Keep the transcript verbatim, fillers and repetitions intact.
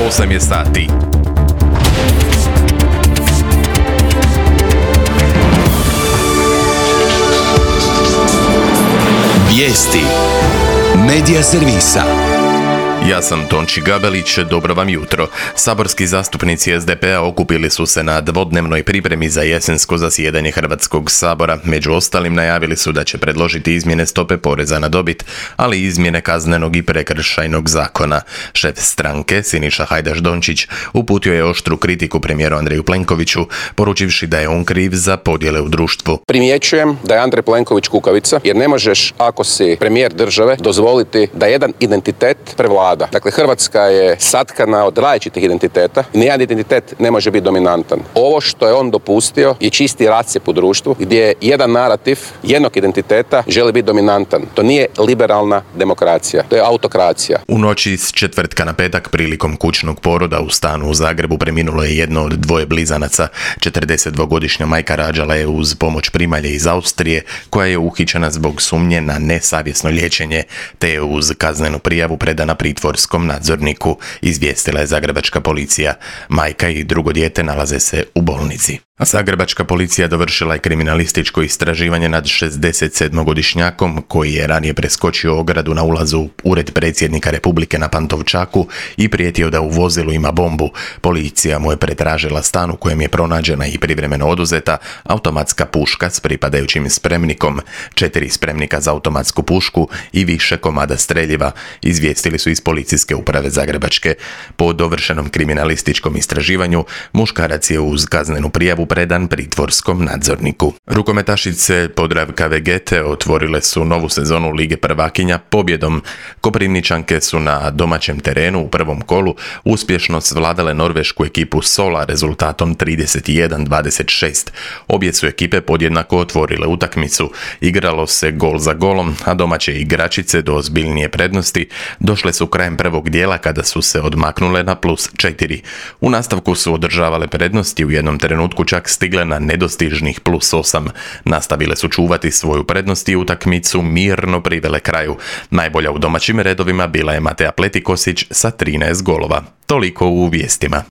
osam je sati. Vijesti Medija servisa. Ja sam Tonči Gabelić, dobro vam jutro. Saborski zastupnici es de pe a okupili su se na dvodnevnoj pripremi za jesensko zasjedanje Hrvatskog sabora. Među ostalim najavili su da će predložiti izmjene stope poreza na dobit, ali i izmjene kaznenog i prekršajnog zakona. Šef stranke, Siniša Hajdaš Dončić, uputio je oštru kritiku premijeru Andreju Plenkoviću, poručivši da je on kriv za podjele u društvu. Primjećujem da je Andrej Plenković kukavica, jer ne možeš, ako si premijer države, dozvoliti da jedan identitet prevlada. Dakle, Hrvatska je satkana od različitih identiteta i nijedan identitet ne može biti dominantan. Ovo što je on dopustio je čisti rascjep u društvu gdje jedan narativ jednog identiteta želi biti dominantan. To nije liberalna demokracija, to je autokracija. U noći s četvrtka na petak prilikom kućnog poroda u stanu u Zagrebu preminulo je jedno od dvoje blizanaca. četrdesetdvogodišnja majka rađala je uz pomoć primalje iz Austrije koja je uhićena zbog sumnje na nesavjesno liječenje, te je uz kaznenu prijavu predana pritvorskom nadzorniku, izvijestila je zagrebačka policija. Majka i drugo dijete nalaze se u bolnici. A zagrebačka policija dovršila je kriminalističko istraživanje nad šezdesetsedmogodišnjakom koji je ranije preskočio ogradu na ulazu u ured predsjednika Republike na Pantovčaku i prijetio da u vozilu ima bombu. Policija mu je pretražila stan u kojem je pronađena i privremeno oduzeta automatska puška s pripadajućim spremnikom, četiri spremnika za automatsku pušku i više komada streljiva, izvijestili su iz policijske uprave Zagrebačke. Po dovršenom kriminalističkom istraživanju muškarac je uz kaznenu prijavu predan pritvorskom nadzorniku. Rukometašice Podravka Vegete otvorile su novu sezonu Lige prvakinja pobjedom. Koprivničanke su na domaćem terenu u prvom kolu uspješno svladale norvešku ekipu Sola rezultatom trideset jedan dvadeset šest. Obje su ekipe podjednako otvorile utakmicu. Igralo se gol za golom, a domaće igračice do ozbiljnije prednosti došle su krajem prvog dijela kada su se odmaknule na plus četiri. U nastavku su održavale prednosti, u jednom trenutku čak stigle na nedostižnih plus osam. Nastavile su čuvati svoju prednost i utakmicu mirno privele kraju. Najbolja u domaćim redovima bila je Matea Pletikosić sa trinaest golova. Toliko u vijestima.